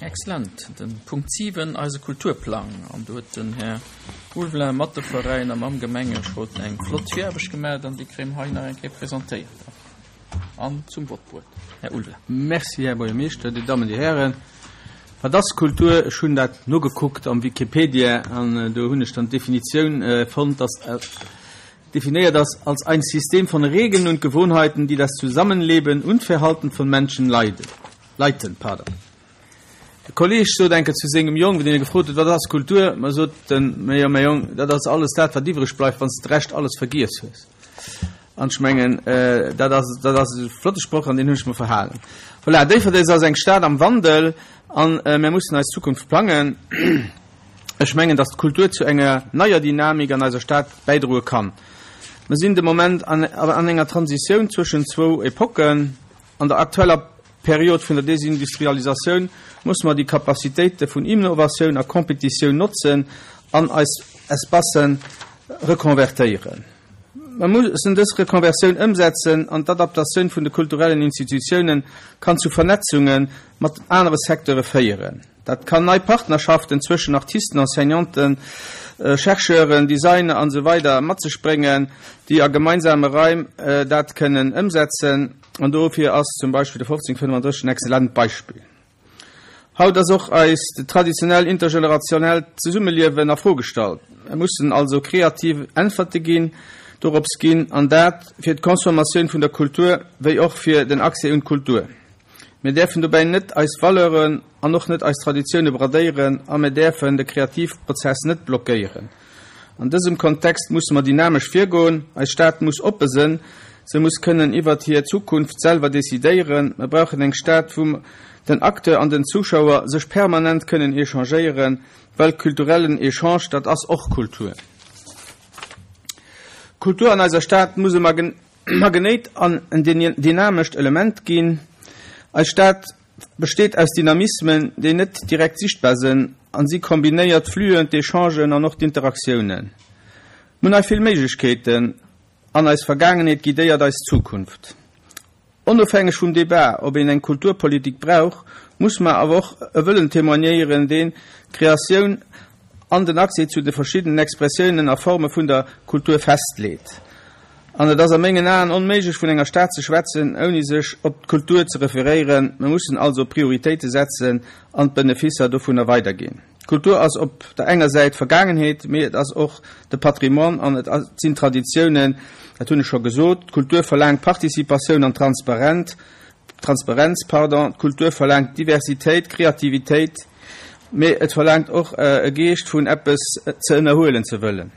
Excellent. Den Punkt 7, eise Kulturplang. An do huet den Här Ulveling mat de Veräiner, mam Gemengerot eng flott Viraarbecht gemaach an déi kréie mer hei nach eng Kéier presentéiert an zum Vott bruet. Här Ulveling. Merci, Här Buergermeeschter, Dir Dammen, Dir Hären. Wat ass Kultur? Ech hunn dat nogekuckt am Wikipedia an do hunn ech dann d'Definitioun fonnt, dass definéiert ass als ein System von Regeln und Gewohnheiten, die das Zusammenleben und Verhalten von Menschen leiden. Leiten. Pardon. E Kolleeg sot eng Kéier zu sengem Jong, wéi deen e gefrot huet, Wat ass Kultur? Ma sot en, Majo, mäi Jong, dat ass alles dat, wat iwwreg bleift, wann s de d'Rescht alles vergiess hues. An ech mengen, dat ass, dat ass e flotte Sproch an deen hunn ech mer verhalen. Voilà, Déifferdeng ass eng Stad am Wandel an mär mussen eis Zukunft plangen. Ech mengen, dass d'Kultur zu enger neier Dynamik an eiser Stad bäidroe kann. Mer sinn de Moment an enger Transitioun zwëschen zwou Epocken. An der aktueller Period vun der Desindustrialisatioun musse mer déi Capacitéite vun Innovatioun a Competitioun notzen an eis Espacen rekonvertéieren. Mer mussen dës Rekonversioun ëmsetzen an d'Adaptatioun vun de kulturellen Institutiounen kann zu Vernetzunge mat anere Secteure féieren. Dat kann nei Partnerschaften zwëschen Artisten, Enseignanten, Chercheuren, Designer an esou weider mat sech bréngen, déi a gemeinsame Raim dat kënnen ëmsetzen. An dofir ass zum Beispill de 1535 en exzellent Beispill. Haut ass och eist traditionell intergenerationellt Zesummeliewen a Fro gestallt. Mer mussen also kreativ Äntwerte ginn, dorops ginn, an dat fir d'Consommatioun vun der Kultur wéi och fir den Accès un d'Kultur. Mir däerfen dobäi net eis Valeuren an och net eis Traditioune bradéieren a mir däerfen de Kreativprozess net blockéieren. An dësem Kontext musse mer dynamesch virgoen. Eis Stad muss oppe sënn, se muss kënnen iwwert hir Zukunft selwer decidéieren. Mer brauchen eng Stad, wou den Acteur an den Zuschauer sech permanent kënnen échangéieren, well kulturellen Echange, dat ass och Kultur. Kultur an eiser Stad muss e Magnéit an en dynamescht Element ginn. Eis Stad besteet aus Dynamismen, déi net direkt sichtbar sënn, an si kombinéiert d'Fluen, d'Echangen an och d'Interaktiounen. Mir hunn hei vill Méiglechkeeten an eis Vergaangenheet guidéiert eis Zukunft. Onofhängeg vum Debat, ob een eng Kulturpolitik brauch, muss mer awer och e Wëllen témoignéieren, deen d'Kreatioun an den Accès zu de verschiddenen Expressiounen a Forme vun der Kultur festleet. An et ass a mengen Aen onméiglech vun enger Stad ze schwätzen, ouni sech op d'Kultur ze referéieren. Mer mussen also Prioritéite setzen an d'Beneficer dovunner weiderginn. D'Kultur ass op der enger Säit Vergaangenheet, mee et ass och de Patrimoine an et sinn Traditiounen, dat hunn ech scho gesot. D'Kultur verlaangt Participatioun an Transparent, Transparenz, pardon. D'Kultur verlaangt Diversitéit, Kreativitéit, mee et verlaangt och e Geescht vun eppes ze ënnerhuelen ze wëllen.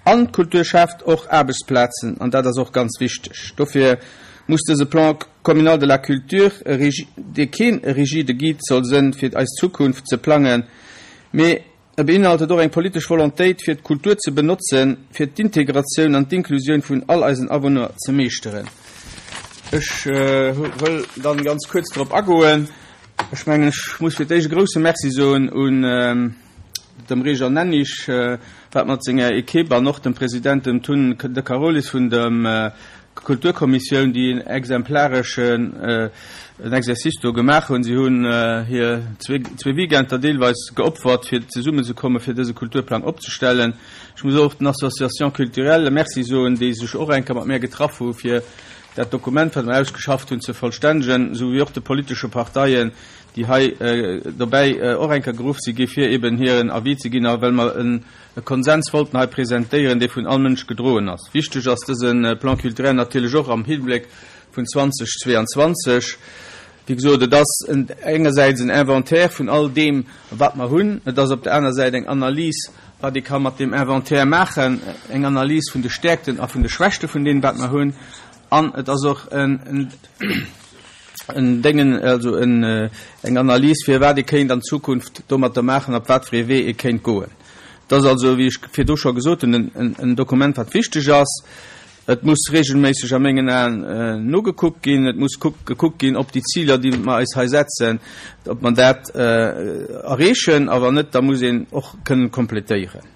An d'Kultur schaaft och Aarbechtsplazen, an dat ass och ganz wichteg. Dofir muss dëse Plan communal de la culture, dee keen rigide Guide soll sënn fir eis Zukunft ze plangen, mee e beinhaltet och eng politesch Volontéit fir d'Kultur ze benotzen, fir d'Integratioun an d'Inklusioun vun all eisen Awunner ze meeschteren. Ech wëll dann ganz kuerz drop agoen. Ech mengen, ech muss fir d'éischt e grouse Merci soen un dem Réjean Nennig, wat mat senger Equipe an och dem President, dem Tun De Carolis vun der Kulturkommissioun, déi en exemplareschen Exercice do gemaach hunn. Si hunn hir zwee Weekender deelweis geopfert, fir zesummenzekommen, fir dëse Kulturplang opzestellen. Ech muss och den Associations culturelles Merci soen, déi sech och eng Kéier mat mär getraff hu fir dat Dokument, wat mer ausgeschafft hunn, ze vollstännegen, esou wéi och de politesche Parteien, déi hei dobäi och eng Kéier geruff si gi fir eben hiren Avis ze ginn, a well mer e Konsens wollten hei presentéieren, dee vun all Mënsch gedroen ass. Wichteg ass dëse Plan culturel natierlech och am Hibléck vun 2022. Wéi gesot, et ass engersäits en Inventaire vun all deem, wat mer hunn. Et ass op der aner Säit eng Analys, wat ee ka mat deem Inventaire maachen, eng Analys vun de Stäerkten a vun de Schwächte vun deem, wat mer hunn. An et ass och en en Déngen, also en, eng Analys, fir wat ee kéint an Zukunft domatter maachen, op wat fir ee Wee ee kéint goen. Et ass also, wéi ech virdu scho gesot hunn, en, en Dokument, wat wichteg ass. Et muss regelméisseg a mengen Aen nogekuckt ginn. Et muss kuck, gekuckt ginn, ob déi Ziler, déi mer eis hei setzen, ob mer dat erreechen. A wann net, da muss een och kënnen kompletéieren.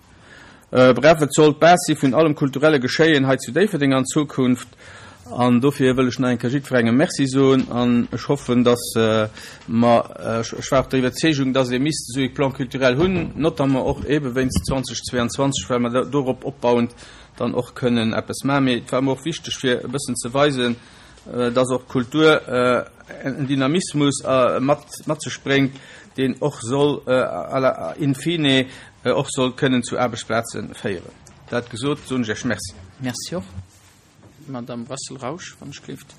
Bref, et soll d'Base si vun allem kulturelle Geschéien hei zu Déifferdeng an Zukunft. An dofir wëll ech nach eng Kéier jiddwerengem Merci soen an ech hoffen, dass mer, ech war och der Iwwerzeegung, dass ee misst esou ee Plan culturel hunn, notamment och eebe wéinst 2022, well mer dorop opbauend dann och kënnen eppes maachen. Mee et war mer och wichteg, fir e bëssen ze weisen, dass och d'Kultur en Dynamismus mat mat sech bréngt, deen och soll à la in fine och soll kënnen zu Aarbechtsplaze féieren. Dat gesot, soen ech Iech Merci. Merci och. Madame Brassel-Rausch, wann ech gleeft.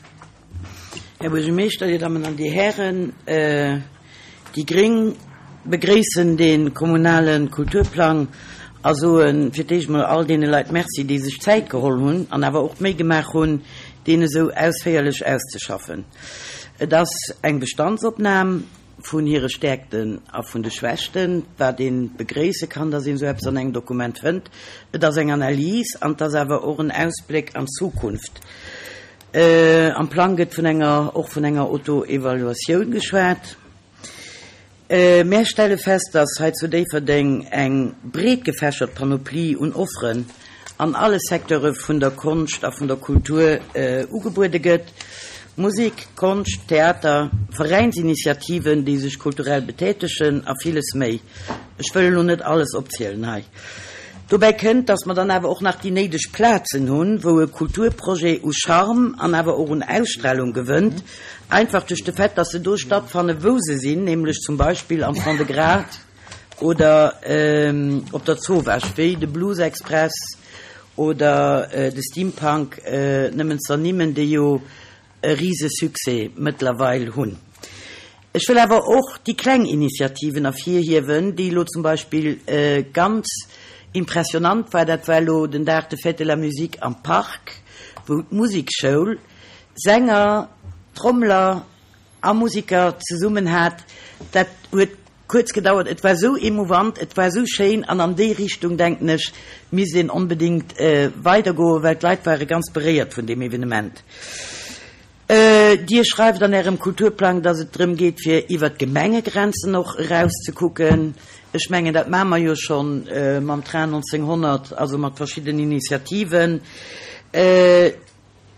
Här Buergermeeschter, Dir Dammen an Dir Hären, déi gréng begréissen dee kommunale Kulturplang a soe fir d'éischt mol all deene Leit Merci, déi sech Zäit geholl hunn an awer och d'Méi gemaach hunn, deen esou ausféierlech auszeschaffen. Et ass eng Bestandsopnam. Vun hire Stäerkten a vun de Schwächten, wat ee begréisse kann, dass een esou eppes an engem Dokument fënnt. Et ass eng Analys an et ass awer och en Ausbléck an d'Zukunft. Am Plang gëtt vun enger, och vun enger Auto-Evaluatioun geschwat. Mär stelle fest, dass hei zu Déifferdeng eng breet gefächert Panoplie un Offeren an alle Secteure vun der Konscht a vun der Kultur ugebuede gëtt, Musek, Konscht, Theater, Veräinsinitiativen, déi sech kulturell betätegen a villes méi. Ech wëll elo net alles opzielen hei. Dobäi kënnt, dass mer dann awer och nach déi néideg Plazen hunn, wou e Kulturprojet u Charme an awer och un Ausstrahlung gewënnt, einfach duerch de Fait, dass se do stattfanne wou se sinn, nämlech zum Beispill am Fond-de-Gras, Oder op der Zowaasch, wéi de Blues Express oder de Steampunk, nëmmen z'ernimmen, déi jo e rise Succès mëttlerweil hunn. Ech wëll awer och déi kleng Initiativen ervirhiewen, déi elo zum Beispill ganz impressionant war, dat war elo den Dag de Fête de la Musique am Park, wou d'Musekschoul Sänger, Trommler, a Musiker zesummen hat, dat huet kuerz gedauert, et war esou émouvant, et war esou schéin an an déi Richtung, denken ech, misst een onbedéngt weidergoen, well d'Leit ware ganz beréiert vun deem Evenement. Dir schreift an Ärem Kulturplang, dass et drëm geet, fir iwwert d'Gemengegrenzen och erauszekucken. Ech mengen, dat maache mer jo scho mam Train 1900, also mat verschiddenen Initiativen. Et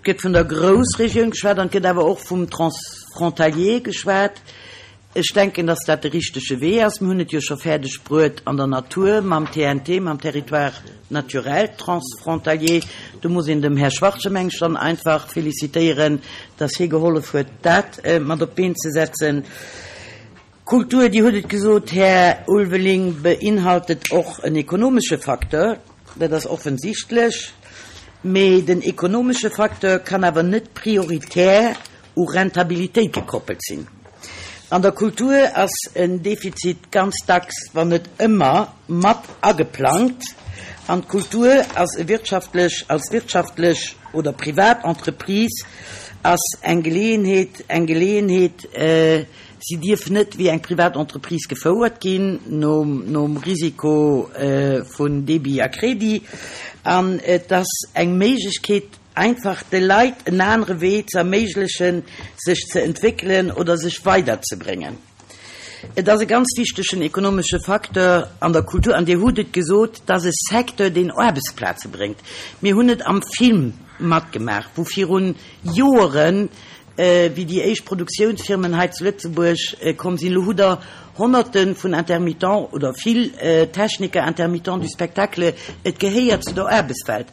gëtt vun der Groussregioun geschwat an et gëtt awer och vum Transfrontalier geschwat. Ech denken, dass dat de richtege Wee ass. Mir hunn et jo scho fäerdeg bruet an der Natur mam TNT, mam Territoire naturel transfrontalier. Do muss een dem Här Schwartje, meng ech, dann einfach félicitéieren, dass hie gehollef huet, dat mat op d'Been ze setzen. Kultur, Dir hutt et gesot, Här Ulveling, beinhaltet och en ekonomesche Facteur. Dat ass offensichtlech. Mee den ekonomesche Facteur kann awer net prioritär u Rentabilitéit gekoppelt sinn. An der Kultur ass en Defizit ganz dacks, wann net ëmmer, mat ageplangt. An d'Kultur ass e wirtschaftlech, als wirtschaftlech oder privat Entreprise ass eng Geleeënheet, eng Geleeënheet, Si dierf net wéi eng privat Entreprise gefouert ginn, nom Risiko vun Débit a Crédit. An et ass eng Méiglechkeet, einfach de Leit en anere Wee ze erméiglechen, sech ze entwéckelen oder sech weiderzebréngen. Et ass e ganz wichtegen ekonomesche Facteur an der Kultur. An Dir hutt et gesot, et ass e Secteur, deen Aarbechtsplaze bréngt. Mir hunn et am Film matgemaach, wou virun Joeren Wéi déi éischt Produktiounsfirmen hei zu Lëtzebuerg komm sinn, elo hutt Der Honnerte vun Intermittents oder vill Techniker, Intermittents du spectacle, et gehéiert zu der Aarbechtswelt.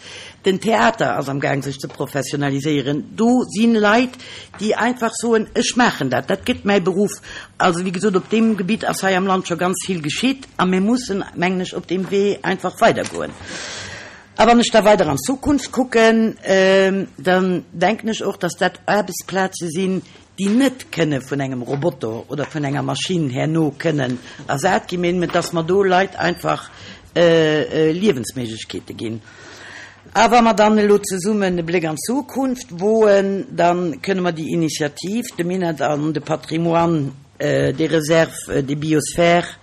Den Theater ass am Gaang sech ze professionaliséieren. Do si Leit, déi einfach soen, ech maachen dat, dat gëtt mäi Beruff. Also wéi gesot, op deem Gebitt ass hei am Land scho ganz vill geschitt a mir mussen, mengen ech, op deem Wee einfach weidergoen. A wann ech da weider an d'Zukunft kucken, dann denken ech och, dass dat Aarbechtsplaze sinn, déi net kënne vun engem Roboter oder vun enger Maschinn herno kënnen ersat ginn, mä dass mer do Leit einfach Liewensméiglechkeete ginn. A wa mer dann elo zesummen e Bléck an d'Zukunft woen, da kënne mer déi Initiativ, de Minett an de Patrimoine des réserves des biosphères,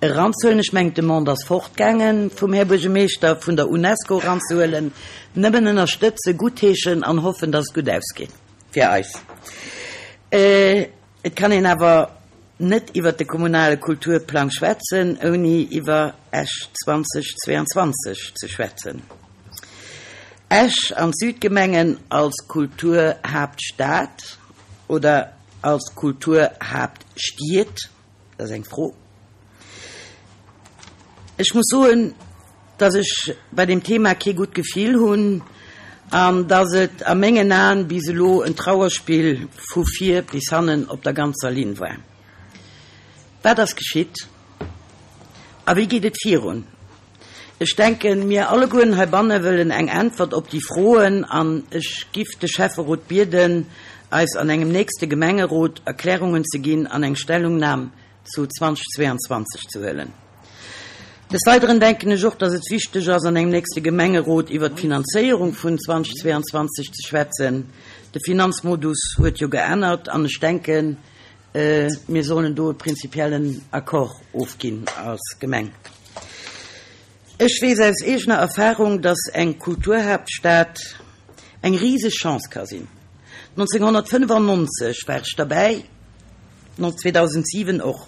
Eranzehuelen. Ech mengen, d'Demande ass fortgaange vum Här Buergermeeschter, vun der Unesco eranzehuelen. Nëmmen ënnerstëtzen, guttheeschen an hoffen, dass et gutt ausgeet fir eis. Et kann een awer net iwwert de kommunale Kulturplang schwätzen, ouni iwwer Esch 2022 ze schwätzen. Esch an d'Südgemengen als Kulturhaaptstad oder als Kulturhaaptstied? Dat ass eng Fro. Ech muss soen, dass ech bei deem Thema kee gutt Gefill hunn an dass et a mengen Aen bis elo en Trauerspill vu vir bis hannen op der ganzer Linn war. Wat ass geschitt a wéi geet et virun? Ech denken, mir allegueren heibanne wëllen eng Äntwert op déi Froen an ech giff de Schäfferot bieden, eis an engem nächste Gemengerot Erklärungen ze ginn an eng Stellungnam zu 2022 ze huelen. Des Weideren denken ech och, dass et wichteg ass, an engem nächste Gemengerot iwwert d'Finanzéierung vun 2022 ze schwätzen. De Finanzmodus huet jo geännert an ech denken, Mir sollen do e prinzipiellen Accord ofginn als Gemeng. Ech weess aus eegener Erfahrung, dass eng Kulturhaaptstad eng riseg Chance ka sinn. 1995 war ech derbäi, 2007 och.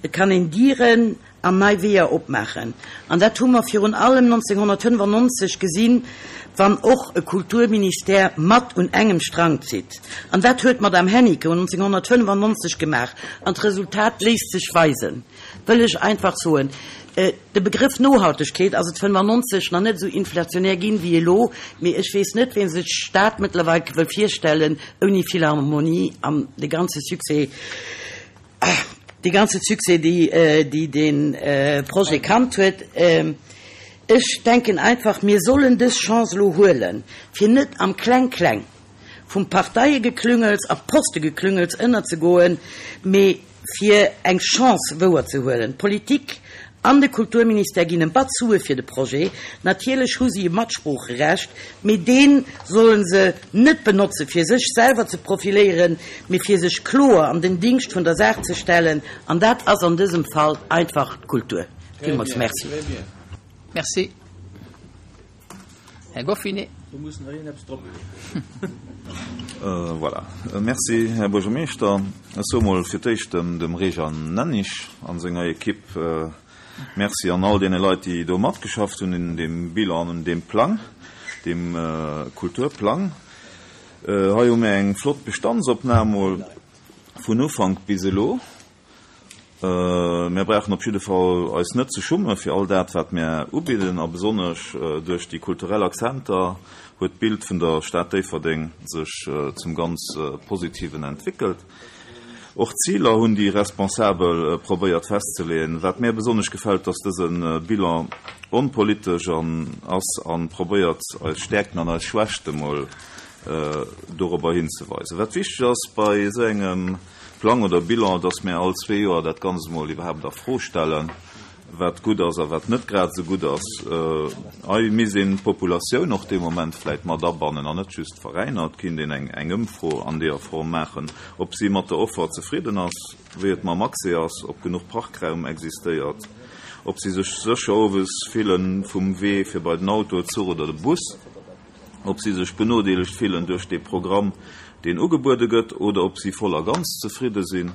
Et kann een Dieren an nei Weeër opmaachen. An dat hu mer virun allem 1995 gesinn, wann och e Kulturministère mat un engem Strang zitt. An dat huet d'Madame Hennicot 1995 gemaach. An d'Resultat léisst sech weisen, wëll ech einfach soen. De Begrëff Nohaltegkeet ass et 95 nach net esou inflationär ginn wéi elo, mee ech weess net, wien sech d'Stad mëttlerweil wëll virstellen ouni Philharmonie an de ganze Succès. Dee ganze Succès, déi dee Projet kannt huet. Ech denken einfach, mir sollen dës Chance elo huelen, fir net am Kleng-Kleng vum Parteiegeklüngels a Postegeklüngels ënnerzegoen, mee fir eng Chance wouerzehuelen. D'Politik an de Kulturministère ginn en Batz Sue fir de Projet. Natierlech hu si e Matsproocherecht, mee dee solle se net benotze fir sech selwer ze profiléieren, mee fir sech kloer an den Dingscht vun der Saach ze stellen, an dat ass an dësem Fall einfach d'Kultur. Villmools Merci. Merci, Här Goffinet. Do muss nach een eppes drop. Voilà. Merci, Här Buergermeeschter. Ech soe mol fir d'éischt dem Réjean Nennig a senger Ekipp Merci an all deene Leit, déi do matgeschafft hunn un deem Bilan an un deem Plang, deem Kulturplang. Hei hu mir eng flott Bestandsopnam mol vun Ufank bis elo. Mär brauchen op jidde Fall eis net ze schumme fir all dat, wat mär ubidden, a besonnesch duerch déi kulturell Akzenter huet d'Bild vun der Stad Déifferdeng sech zum ganz Positiven entwéckelt. Och d'Ziler hunn déi Responsabel probéiert festzeleeën. Wat mär besonnesch gefält, dass dëse Bilan onpolitesch ass a probéiert, eis Stäerkten an eis Schwächte mol dorobber hinzeweisen. Wat wichteg ass bei esou engem Plang oder Bilan, dass mär all zwee Joer dat Ganzt emol iwwerhaapt a Fro stellen, wat gutt ass a wat net grad esou gutt ass. Hei misst een d'Populatioun och dee Moment vläit mat abannen an net just d'Veräiner. Et kinnt een eng Ëmfro an deeër Form maachen, ob si mat der Offer zefridden ass, wéi et mam Accès ass, ob genuch Parkraum existéiert, ob si sech sécher owes fillen vum Wee fir bei den Auto, Zuch oder de Bus. ob si sech benodeelegt fillen duerch dee Programm, deen ugebuede gëtt, oder ob si voll a ganz zefridde sinn,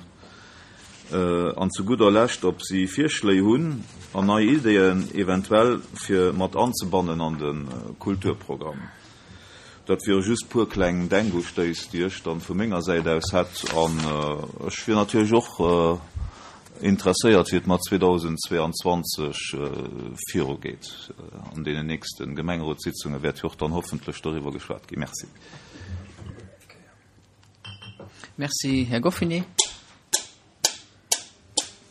an zu gudder Lescht, ob si Virschléi hunn an nei Ideeën eventuell fir mat anzebannen an de Kulturprogramm. Dat wiere just puer kleng Denkustéiss, déi ech dann vu menger Säit aus hätt. An ech wier natierlech och Interesséiert, wéi et mat 2022 virugeet. An deenen nächste Gemengerotssitzunge wäert jo och dann hoffentlech doriwwer geschwat ginn. Merci. Merci, Här Goffinet.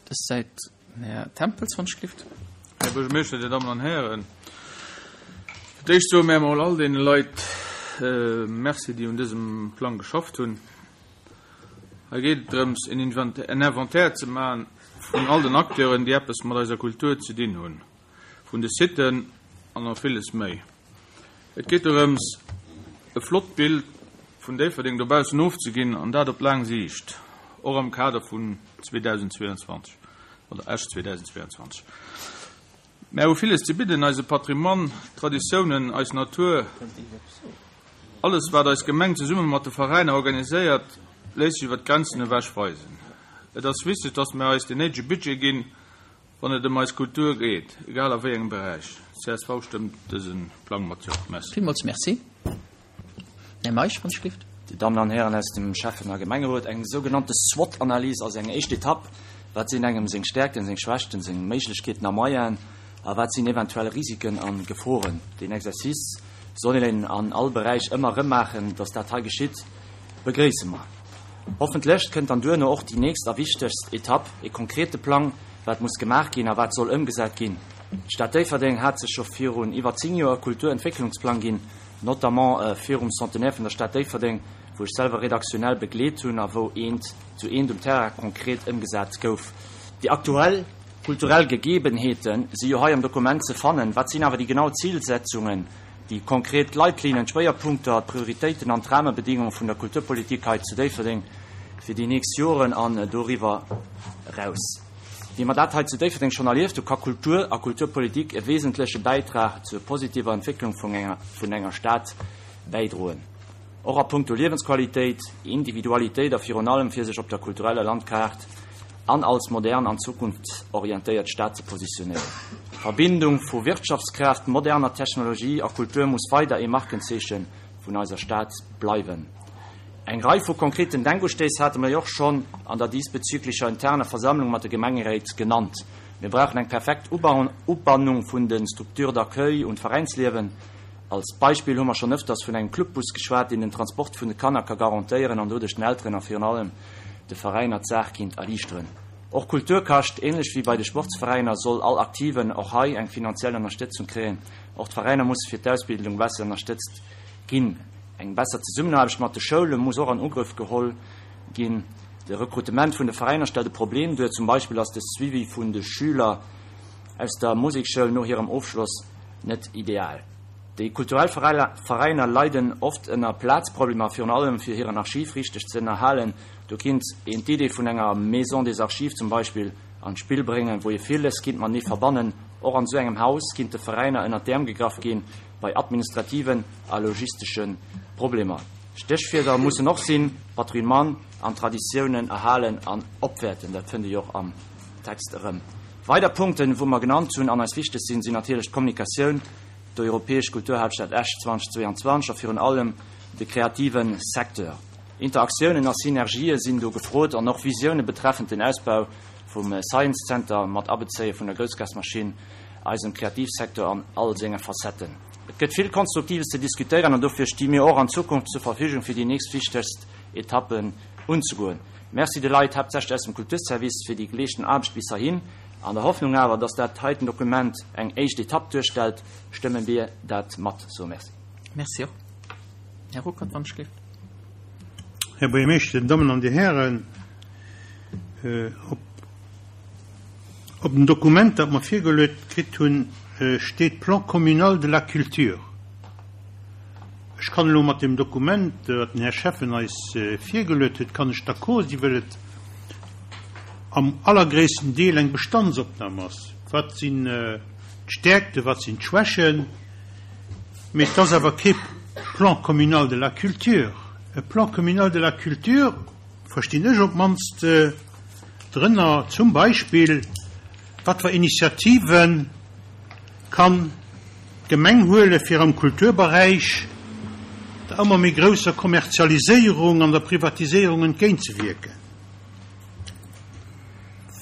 Dës Säit den Här Tempels, wann ech gelift. Här Buergermeeschter, Dir Dammen an Hären, fir d'éischt soe mär emol all deene Leit Merci, déi un dësem Plang geschafft hunn. Hei geet et drëms, en Inventaire ze maachen vun all den Acteuren, déi eppes mat eiser Kultur ze dinn hunn, vun de Siten an nach villes méi. Et geet dorëms, e flott Bild vun Déifferdeng dobaussen ofzeginn, an dat op laang Siicht, och am Kader vun 2022 oder Esch 2022. Mär hu villes ze bidden, eise Patrimoine, d'Traditiounen, eis Natur. Alles, wat eis Gemeng zesumme mat de Veräiner organiséiert, léisst sech iwwer d'Grenzen ewech weisen. Et ass wichteg, dass mär eis den néidege Budget ginn. Wann et ëm eis Kultur geet, egal a wéi engem Beräich. Csv stëmmt dëse Plang mat Jo. Merci. Villmools Merci. Här Meisch, wann ech gelift. Dir Dammen an Hären aus dem Schäffen a Gemengerot, eng sougenannte SWOT-Analys ass eng éischt Etapp. Wat sinn engem seng Stärkten, seng Schwächten, seng Méiglechkeeten a Moyenen a wat sinn eventuell Risiken a Geforen? Deen Exercice soll een an all Beräich ëmmer erëm maachen. Dass dat hei geschitt, begréisse mer. Hoffentlech kënnt dann duerno och déi nächst a wichtegst Etapp, e konkrete Plang, wat muss gemaach ginn a wat soll ëmgesat ginn. D'Stad Déifferdeng hat sech scho virun iwwer 10 Joer e Kulturentwécklungsplang ginn, notamment virum Centenaire vun der Stad Déifferdeng, wou ech selwer redaktionell begleet hunn a wou eent zu eent um Terrain konkret ëmgesat gouf. Déi aktuell kulturell Gegebenheete si jo hei am Dokument ze fannen. Wat sinn awer déi genau Zilsetzungen, déi konkret Leitlinien, d'Schwéierpunkter, d'Prioritéiten an d'Rahmebedingunge vun der Kulturpolitik hei zu Déifferdeng fir déi nächst Joren an doriwwer eraus? Wéi mer dat hei zu Déifferdeng schonn erlieft hu ka Kultur a Kulturpolitik e wesentleche Bäitrag zur positiver Entwécklung vun enger Stad bäidroen, och a puncto Liewensqualitéit, Individualitéit a virun allem fir sech op der kultureller Landkaart an als modern an zukunftsorientéiert Stad ze positionéieren. D'Verbindung vu Wirtschaftskraaft, moderner Technologie a Kultur muss weider ee Markenzeeche vun eiser Stad bleiwen. Eng Rei vu konkreten Denkustéiss hate mer jo och schonn an der diesbezüglicher interner Versammlung mat de Gemengeréit genannt. Mir brauchen eng perfekt Ubannung vun de Structures d'accueil un d'Veräinsliewen. Als Beispill hu mer schonn ëfters vun engem Clubbus geschwat, deen den Transport vun de Kanner ka garantéieren an doduerch den Elteren a virun allem de Veräiner d'Saach kinnt erliichteren. Och Kultur kascht. Ähnlech wéi bei de Sportsveräiner soll all Aktiven och hei eng finanziell Ënnerstëtzung kréien. Och d'Veräiner musse fir d'Ausbildung besser ënnerstëtzt ginn. Eng besser Zesummenaarbecht mat de Schoule muss och an Ugrëff geholl ginn. De Rekrutement vun de Veräiner stellt e Problem duer. Zum Beispill ass de Suivi vun de Schüler aus der Musekschoul no hirem Ofschloss net ideal. Déi kulturell Veräiner leiden oft ënner Plazproblemer, virun allem fir hiren Archiv richteg ze ënnerhalen. Do kinnt een d'Idee vun enger Maison des Archives zum Beispill an d'Spill bréngen, wou ee villes kinnt matenee verbannen. Och an esou engem Haus kinnte Veräiner ënner d'Äerm gegraff ginn bei administrativen a logistesche Problemer. Stéchwierder mussen och sinn, Patrimoine an Traditiounen erhalen an opwäerten. Dat fënnt ee jo och am Text erëm. Weider Punkten, wou mer genannt hunn an eis wichteg sinn, sinn natierlech d'Kommunikatioun, d'Europäesch Kulturhaaptstad Esch 2022 a virun allem de kreative Secteur. Interaktiounen a Synergië sinn do gefrot an och Visioune betreffend den Ausbau vum Science Center mat Abezéie vun der Groussgasmaschinn, eisem Kreativsecteur an all senge Facetten. Et gëtt vill Konstruktives ze diskutéieren an dofir sti mir och an Zukunft zur Verfügung fir déi nächst wichtegst Etappen unzegoen. Merci de Leit, haaptsächlech aus dem Kulturservice, fir déi geleeschten Aarbecht bis heihin. An der Hoffnung awer, dass dat heiten Dokument eng éischt Etapp duerstellt, stëmme mir dat mat. So, merci. Merci och. Här Ruckert, wann ech gelift. Här Buergermeeschter, Dir Dammen an Dir Hären, op op dem Dokument, dat mer virgeluet kritt hunn, steet Plan communal de la culture. Ech kann elo mat deem Dokument, dat den Här Schäffen eis virgeluet huet, kann ech d'accord sinn, well et am allergréissten Deel eng Bestandsopnam ass. Wat sinn d'Stäerkten, wat sinn d'Schwächen? Mee et ass awer kee Plan communal de la culture. E Plan communal de la culture verstinn ech op d'mannst drënner zum Beispill, wat fir Initiative kann d'Gemeng huele fir am Kulturberäich der ëmmer méi grousser Kommerzialiséierung an der Privatiséierung entgéintzewierken.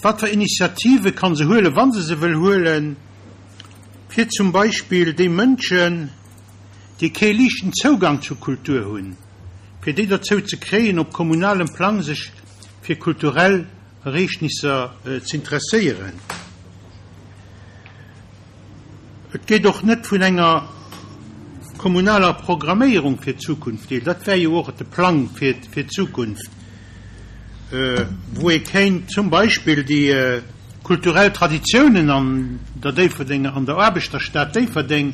Wat fir Initiative kann se huelen, wa se se wëll huelen, fir zum Beispill déi Mënschen, déi kee liichten Zougang zur Kultur hunn, fir déi dozou ze kréien, op kommunalem Plang sech fir kulturell Ereegnisser z'interesséieren? Et geet och net vun enger kommunaler Programméierung fir d'Zukunft deal. Dat wär jo och de Plang fir d'Zukunft, wou ee kéint zum Beispill déi kulturell Traditiounen an der Déifferdenger, an der Aarbechterstad Déifferdeng,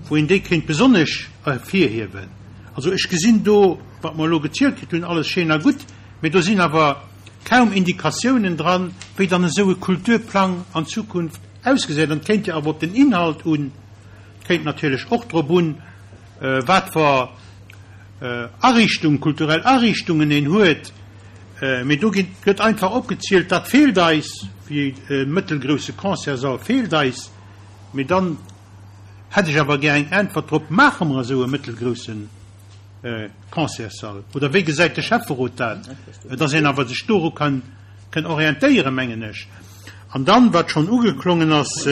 wou een déi kéint besonnesch ervirhiewen. Also ech gesinn do, wat mer elo gezielt kritt hunn, alles schéin a gutt, mee do sinn awer kaum Indikatiounen dran, wéi dann esou e Kulturplang an Zukunft Ausgesäit. An et kéint jo awer op den Inhalt un, et kéint natierlech och drop un, wat fer Ariichtung, kulturell Ariichtungen een huet, mee do ginn, gëtt einfach opgezielt, dat feelt eis. wéi e mëttelgrousse Concertssall feelt eis. Mee dann hätt ech awer gär eng Äntwert drop, Maache mer esou e mëttelgrousse Concertssall oder wéi gesäit de Schäfferot dat? Dass een awer sech doru kann orientéieren, mengen ech. An dann, wat schonn ugeklongen ass,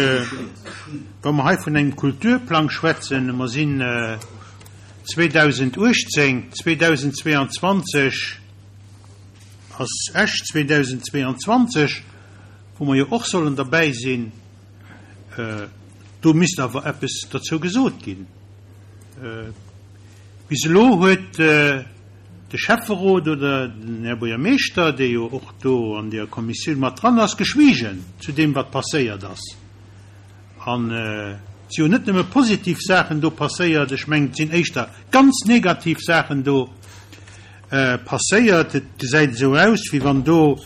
wa mer hei vun engem Kulturplang schwätzen, mer sinn 2018, 2022 ass Esch 2022, wou mer jo och sollen derbäi sinn, do misst awer eppes derzou gesot ginn. Bis elo huet de Schäfferot oder den Här Buergermeeschter, dee jo och do an deer Kommissioun mat dran ass, geschwiegen zu deem, wat passéiert ass. An et si jo net nëmme positiv Saachen do passéiert, ech mengen, et sinn éischter ganz negativ Saachen do passéiert. Et gesäit esou aus, wéi wann do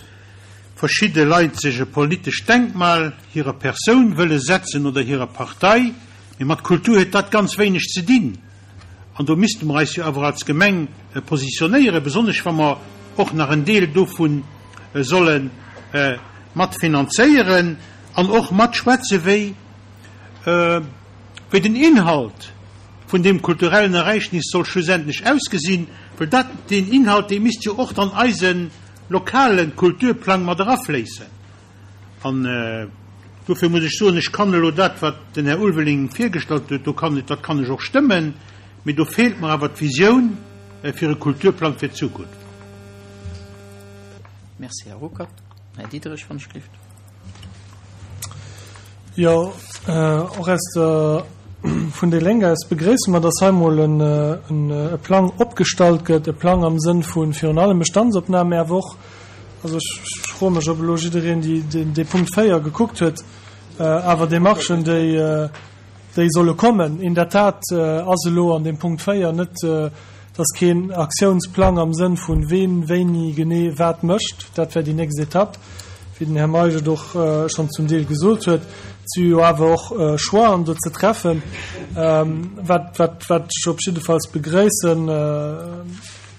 verschidde Leit sech e politescht Denkmal hirer Persoun wëlle setzen oder hirer Partei. Mee mat Kultur huet dat ganz wéineg ze dinn. An do misste mer eis jo awer als Gemeng positionéieren, besonnesch wa mer och nach en Deel dovu solle mat finanzéieren an och matschwätze wéi wéi den Inhalt vun deem kulturellen Ereignis soll schlussendlech ausgesinn, well dat, deen Inhalt, dee misst jo och dann eise lokale Kulturplang mat erafléissen. An dofir muss ech soen, ech kann elo dat, wat den Här Ulveling virgestallt huet, do kann, dat kann ech och stëmmen, mee do feelt mer awer d'Visioun fir e Kulturplang fir d'Zukunft. Merci, Här Ruckert. Här Diderich, wann ech gelift. Jo, och aus der, vun déi Lénk aus begréisse mer, dass hei emol e Plang opgestallt gëtt, e Plang am Sënn vu virun allem Bestandsopnam, mä awer och, Also ech froe mech, ob elo jiddereen dee Punkt 4 gekuckt huet. Awer Demarchen, déi solle kommen. In der Tat ass elo an deem Punkt 4 net, dass keen Aktiounsplang am Sënn vun ween wéini genee wat mécht. Dat wär déi nächst Etapp, wéi den Här Meisch et och schonn zum Deel gesot huet. Et si jo awer och Choixen do ze treffen. Wat ech op jiddefalls begréissen,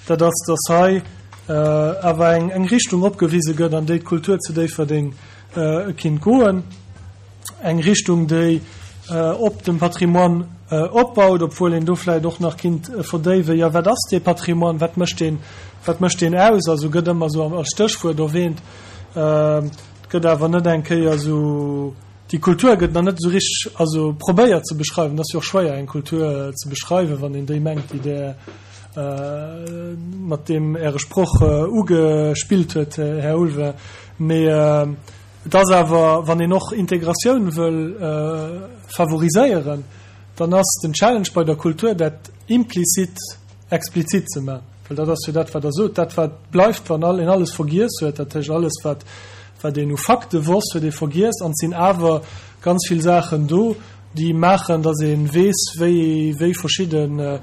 Dat ass, dass hei awer eng Richtung opgewise gëtt, an déi d'Kultur zu Déifferdeng kinnt goen. Eng Richtung, déi op dem Patrimoine opbaut, obwuel een do vläicht och nach kinnt verdéiwen, jo, wat ass dee Patrimoine, wat mécht deen, wat mécht deen aus? Also gëtt ëmmer esou als Stéchwuert erwähnt, et gëtt awer net eng Kéier esou, déi Kultur gëtt nach net esou richteg, also probéiert ze beschreiwen. Et ass jo och schwéier, eng Kultur ze beschreiwen, wann een déi mengt, déi där mat deem Äre Sproch ugespillt huet, Här Ulveling. Mee et ass awer, wann een och Integratioun wëll favoriséieren, dann ass den Challenge bei der Kultur, dat implizit explizit ze maachen. Well dat ass jo dat, wat Der sot, dat, wat bleift, wann een alles vergiess huet, dat heescht alles, wat wat een u Fakte wosst, huet ee vergiess. An et sinn awer ganz vill Saachen do, déi maachen, datt ee weess, wéi wéi verschidden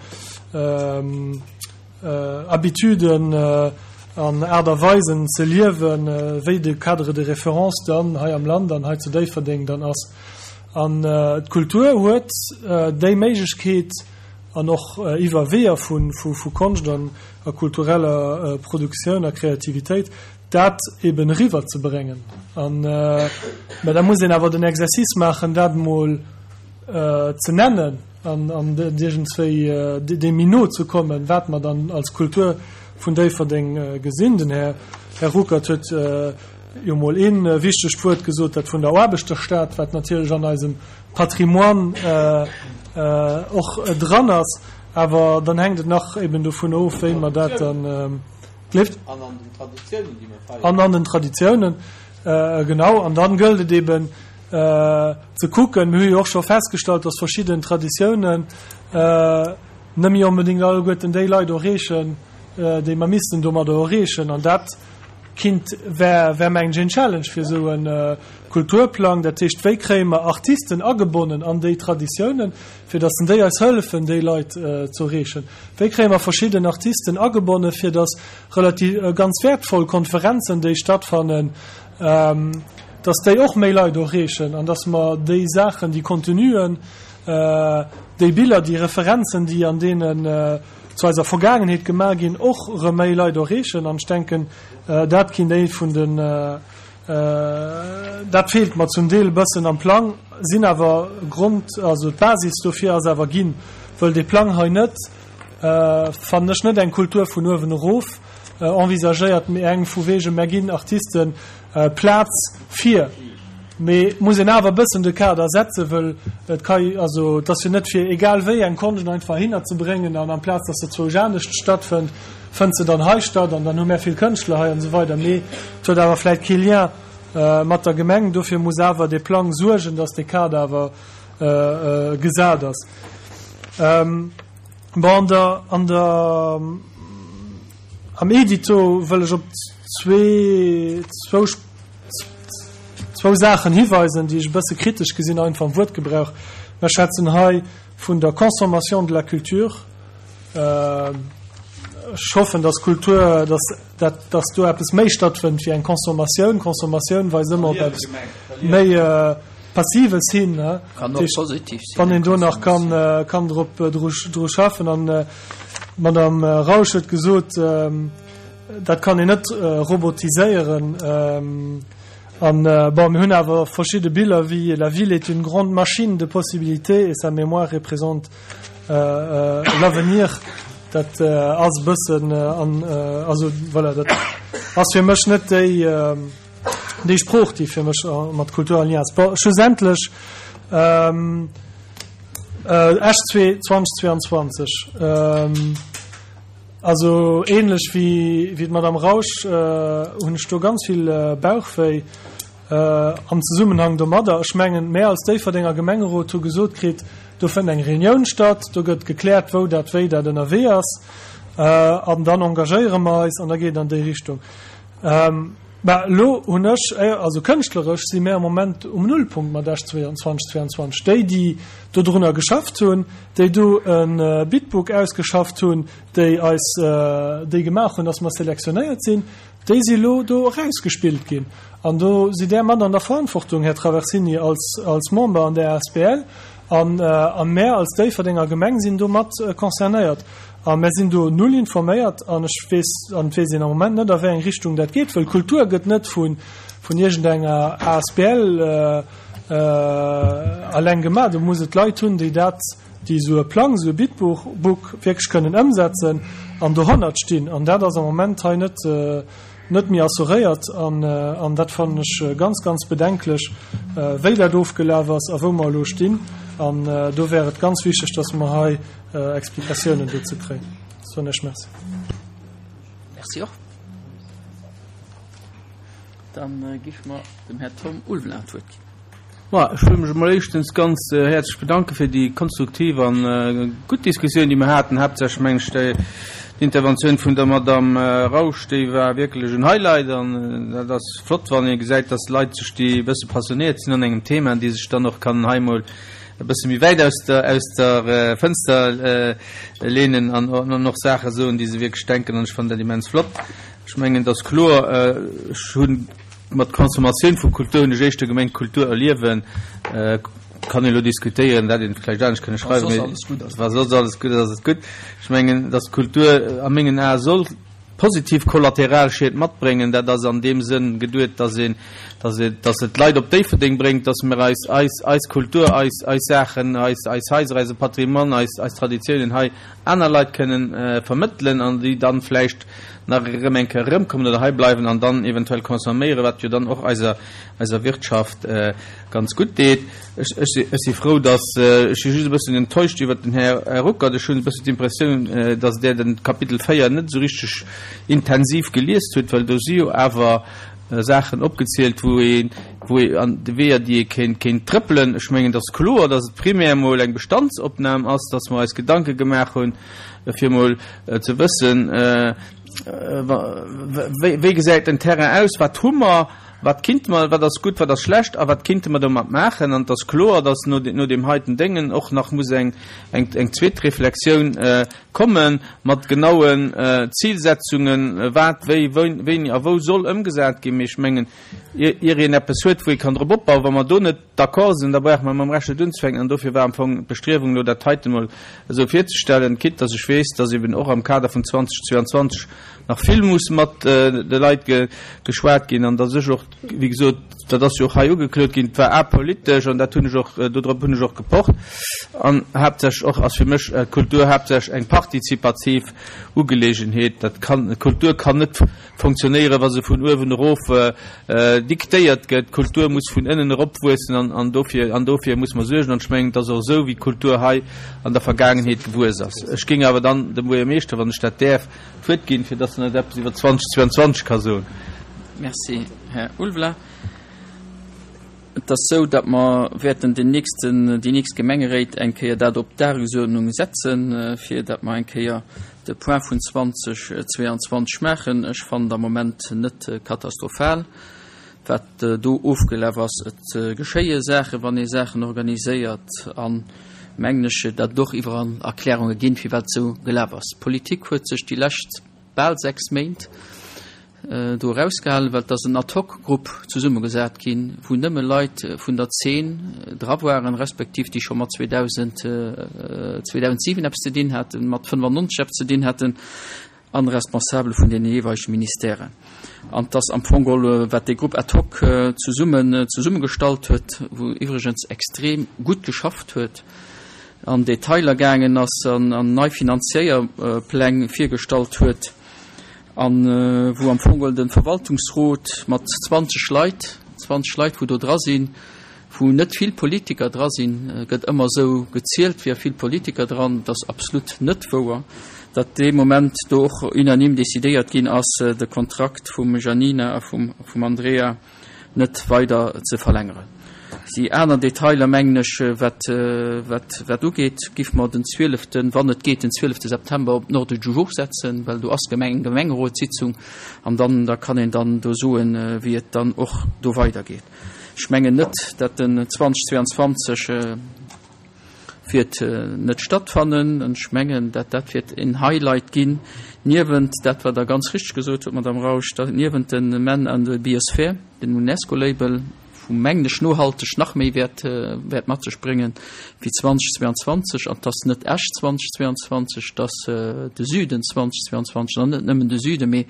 Habituden an Aart a Weisen ze liewen, wéi de Cadre de référence dann hei am Land an hei zu Déifferdeng dann ass. An d'Kultur huet déi Méiglechkeet, an och iwwer Weeër vu Konscht an a kultureller Produktioun a Kreativitéit, dat eben eriwwer ze bréngen. An, mä da muss een awer den Exercice maachen, dat emol ze nennen an an iergendswéi deem méi no ze kommen, wat mer dann als Kultur vun Déifferdeng gesinn. Den Här Här Ruckert huet jo emol ee wichtegt Wuert gesot, dat vun der Aarbechterstad, wat natierlech an eisem Patrimoine och dran ass. Awer dann hänkt et nach eben dovun of, wéi mer dat dann. Gleeft. An an den Traditiounen, déi mer feieren. An an den Traditiounen, genau. An dann gëllt et eben ze kucken, mir hu jo och scho festgestallt, dass verschidden Traditiounen net méi onbedéngt alleguerten déi Leit erreechen, déi mer missten domadder erreechen. An dat kinnt, wär, wär mengen ech een Challenge fir esou e Kulturplang. Dat heescht, wéi kréie mer Artisten agebonnen an déi Traditiounen, fir dass déi eis hëllefen, déi Leit ze erreechen? Wéi kréie mer verschidden Artisten agebonnen, fir dass relativ ganz wäertvoll Konferenzen, déi stattfannen, dass déi och méi Leit erreechen an dass mer déi Saachen, déi Contenuen, déi Biller, déi Referenzen, déi an deenen zu eiser Vergaangenheet gemaach ginn, och erëm méi Leit erreechen? An ech denken, dat kinnt ee vun den. Dat feelt mer zum Deel e bëssen am Plang, sinn awer Grond, also d'Basis dofir ass awer ginn, wëll dee Plang hei net, fannen ech, net eng Kultur vun uewen erof envisagéiert, mee eng vu wegen, mär ginn Artisten Plaz fir. Mee et muss een awer e bëssen de Kader setzen, wëll et ka, also et ass jo net fir egal wéi eng Konscht einfach hinner ze bréngen an amplaz dass se zwousch anescht stattfënnt, fënnt se dann hei statt an dann hu mär vill Kënschtler hei an esou weider. Mee et huet awer vläicht kee Lien mat der Gemeng. Dofir muss awer dee Plang suergen, dass dee Kader awer gesat ass. Bon, an der, an der, am Edito wëll ech op zwee, zwou, zwou Saachen hiweisen, déi ech e bësse kritesch gesinn, einfach am Wuertgebrauch. Mer schwätzen hei vun der Consommation de la culture. Ech hoffen, dass Kultur, dass dat, dass do eppes méi stattfënnt wéi eng Consommatioun. Consommatioun weist ëmmer op eppes méi Passives hin. Kann och positiv sinn. Wann een do nach kann, kann drop, dru, dru schaffen. An d'Madame Rausch huet gesot, dat kann een net robotiséieren. An, bon, mir hunn awer verschidde Biller wéi La ville est une grande machine de possibilités et sa mémoire représente l'avenir. Dat ass e bëssen an, also voilà, dat ass fir mech net déi, déi Sprooch, déi fir mech mat Kultur en lien ass. Bon, schlussendlech, Esch 2022, also ähnlech wéi, wéi d'Madame Rausch hunn ech do ganz vill Bauchwéi. Am Zesummenhang domadder, ech mengen, mär als Déifferdenger Gemengerot hu gesot kritt, do fënnt eng Reunioun statt, do gëtt gekläert, wou dat, wéi dat ënnerwee ass, an dann engagéiere mer eis an da geet et an déi Richtung. Mä elo hunn ech, also kënschtleresch si mär am Moment um Nullpunkt mat Esch 2022. Déi, déi dodrunner geschafft hunn, déi do e Bidbook ausgeschafft hunn, déi eis déi gemaach hunn, datt mer selektionéiert sinn, Déi si elo do erausgespillt ginn. An do sidd Där mat an der Verantwortung, Här Traversini, als, als Member an där asbl. An, a mär als Déifferdenger Gemeng sinn do mat concernéiert. A mär sinn do null informéiert. An ech weess, an et weess een am Moment net, a wéi eng Richtung dat geet, wëll Kultur gëtt net vu, vun iergendenger asbl eleng gemaach. Do muss et Leit hunn, déi dat, déi esou e Plang, esou e Bidbook wierklech kënnen ëmsetzen an dohannert stinn. An dat ass am Moment hei net, net méi assuréiert. An, an dat fannen ech ganz, ganz bedenklech, wéi dat ofgelaf ass a wou mer elo stinn. An do wär et ganz wichteg, dass mer hei Explikatiounen dozou kréien. Soen ech Merci. Merci och. Dann géife mer dem Här Tom Ulveling d'Wuert ginn. Ma ech wëll mech emol éischtens ganz häerzlech bedanke fir déi konstruktiv an gutt Diskussioun, déi mer haten. Haaptsächlech mengen ech déi Interventioun vun der Madame Rausch, déi war wierklech en Highlight. An dat ass flott, wann ee gesäit, dass Leit sech, déi e bësse passionéiert sinn an engem Thema, déi sech dann och kann hei emol e bësse méi wäit aus der, aus der Fënster leenen an och Saache soen, déi se wierklech denken. An ech fannen dat immens flott. Ech mengen, et ass kloer, ech hunn, Mat Consommatioun vu Kultur hunn ech éischter gemengt Kultur erliewen. Kann een elo diskutéieren, dat een vläicht anescht kënne schreiwen, mee wa soss alles gutt ass, ass et gutt. Ech mengen, datt Kultur a mengen Ae soll positiv Kollateralschied matbréngen. Dat ass an deem Sënn geduet, datt een, datt een, datt et d'Leit op Déifferdeng bréngt, datt mer eis, eis, eis Kultur, eis, eis Saachen, eis, eis Haiser, eise Patrimoine, eis, eis Traditiounen hei aner Leit kënnen vermëttelen an déi dann vläicht nach erëm eng Kéier erëmkommen oder hei bleiwen an dann eventuell consomméieren, wat jo dann och eiser, eiser Wirtschaft ganz gutt deet. Ech, ech si, ech si frou, dass, ech si just e bëssen enttäuscht iwwert den Här, Här Ruckert. Ech hunn e bëssen d'Impressioun, dass Der den Kapitel 4 net esou richteg intensiv geliest hutt, well do si jo awer Saachen opgezielt, wou ee, wou ee an de Weeër, déi ee kéint, kéint trëppelen. Ech mengen, et ass kloer, dass et primär emol eng Bestandsopnam ass, dass mer eis Gedanke gemaach hunn, fir emol ze wëssen, wéi, wéi gesäit den Terrain aus, wat hu mer, wat kinnte mer, wat ass gutt, wat ass schlecht a wat kinnte mer domat maachen. An et ass kloer, dass no, no deem heiten Déngen och nach muss eng, eng, eng zweet Reflexioun Komme mat genauen Zilsetzungen, wat, wéi, wéini a wou soll ëmgesat ginn. Mee ech mengen, ier een eppes huet, wou ee kann drop opbauen, wa mer do net d'accord sinn, da brauche mer mam Rescht net unzefänken. An dofir war am Fong d'Bestriewung, elo dat heiten emol esou virzestellen, quitte dass ech weess, dass eben och am Kader vun 2022 nach vill muss mat de Leit geschwat ginn an dass ech och. Wéi gesot, dat ass jo och hei ugeklot ginn, et war apolitesch an dat hunn ech och, dodrop hunn ech och gepocht. An haaptsächlech och ass fir mech d'Kultur haaptsächlech eng partizipativ Ugeleegenheet. Dat kann, d'Kultur kann net fonctionnéieren, wa se vun uewen erof diktéiert gëtt. D'Kultur muss vun ënnen erop wuessen an, an dofir, an dofir muss mer suergen. An ech mengen, et ass och esou, wéi d'Kultur hei an der Vergaangenheet gewuess ass. Ech géing awer dann dem Buergermeeschter, wann ech dat däerf, d'Wuert ginn, fir dass en eis eppes iwwer 2022 ka soen. Merci, Här Ulveling. Et ass esou, datt mer wäerten den nächsten, déi nächst Gemengeréit eng Kéier dat op d'Dagesuerdnung setzen, fir datt mer eng Kéier de Point vun 2022 maachen. Ech fannen et am Moment net katastrophal, wat do ofgelaf ass. Et geschéie Saachen, wann ee Saachen organiséiert, an, mengen ech, datt et och iwwerall Erklärunge ginn, firwat et esou gelaf ass. D'Politik huet sech déi lescht bal 6 Méint do erausgehalen, well et ass en Ad-hoc-Grupp zesummegesat ginn, wou nëmme Leit vun der Zeen dra waren, respektiv déi scho mat 2000, 2007 eppes ze dinn haten, mat 95 eppes ze dinn haten, an Responsabele vun deene jeeweilege Ministèren. An et ass am Fong geholl, wat dee Grupp ad hoc zesummen, zesummegestallt huet, wou iwwregens extrem gutt geschafft huet, an Detailer gaangen ass an nei Finanzéierpläng virgestallt huet a wou am Fong geholl de Verwaltungsrot mat 20 Leit, 20 Leit wou do dra sinn, wou net vill Politiker dra sinn, gëtt ëmmer esou gezielt, wier vill Politiker dran, dat ass absolut net wouer, datt dee Moment do och unanime decidéiert ginn ass, de Kontrakt vum Janina a vum Andrea net weider ze verlängeren. Déi aner Detailer, mengen ech, wat, wat dat ugeet, giff mer den zwieleften, wann et geet, den zwielefte September op den Ordre du jour setzen, well do ass Gemeng, eng Gemengerotssitzung an dann, da kann een dann do soen, wéi et dann och do weidergeet. Ech mengen net, dat den 2022 wäert net stattfannen. An ech mengen, dat dat wäert en Highlight ginn, niewent dat, wat Der ganz richtig gesot hutt, Madame Rausch, dat niewent de Men an de Biosphere, den UNESCO-Label, wou, mengen ech, nohalteg nach méi wäert, wäert mat sech bréngen wéi 2022. An 't ass net Esch 2022, 't ass de Süden 2022, an net nëmmen de Süden, mee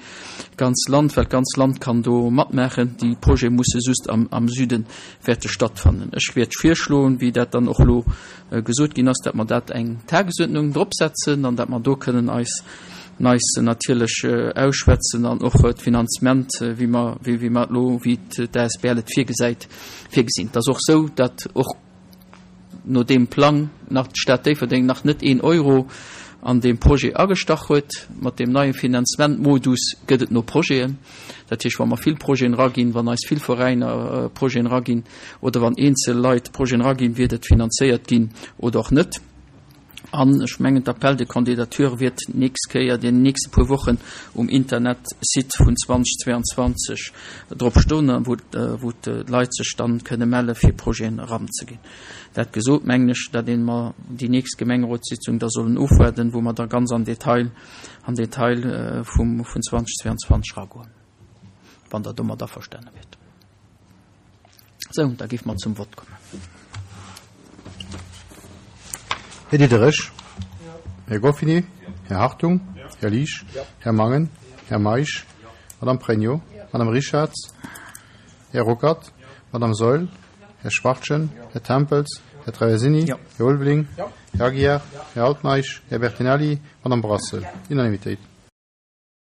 d'ganz Land, well d'ganz Land kann do matmaachen. Déi Projete musse just am, am Süde wäerte stattfannen. Ech wäert virschloen, wéi dat dann och elo gesot ginn ass, dat mer dat eng Tagesuerdnung drop setzen an dat mer do kënnen eis eis natierlech ausschwätzen an och d'Finanzement, wéi mer wéi mer et elo, wéi d'ASBL et virgesäit, virgesinn. Et ass och esou, datt och no deem Plang nach d'Stad Déifferdeng nach net een Euro an deem Projet agestach huet. Mat deem neie Finanzementmodus gëtt et no Projeten. Dat heescht, wa mer vill Projeten eraginn, wann eis vill Veräiner Projeten eraginn oder wann eenzel Leit Projeten eraginn, wiert et finanzéiert ginn oder och net. An ech mengen, d'Appel de candidature wiert d'nächst Kéier, déi nächste puer Wochen um Internetsite vun 2022 drop stoen, wou d'Leit sech dann kënne melle fir Projeten eranzeginn. Dat gesot, mengen ech, datt ee mer déi nächst Gemengerotssitzung da sollen ofwaarden, wou mer da ganz am Detail, am Detail vum, vun 2022 eragoen, wann Der domat averstane wiert. Sou, da géife mer zum Vott kommen. Här Diderich. Här Goffini. Här Hartung. Här Liesch. Här Mangen. Här Meisch. Madame Pregno. Madame Richarz. Här Ruckert. Madame Saeul. Här Schwachtgen. Här Tempels. Här Traversini. Här Ulveling. Här Aguiar. Här Altmeisch. Här Bertinelli. Madame Brassel. Unanimitéit.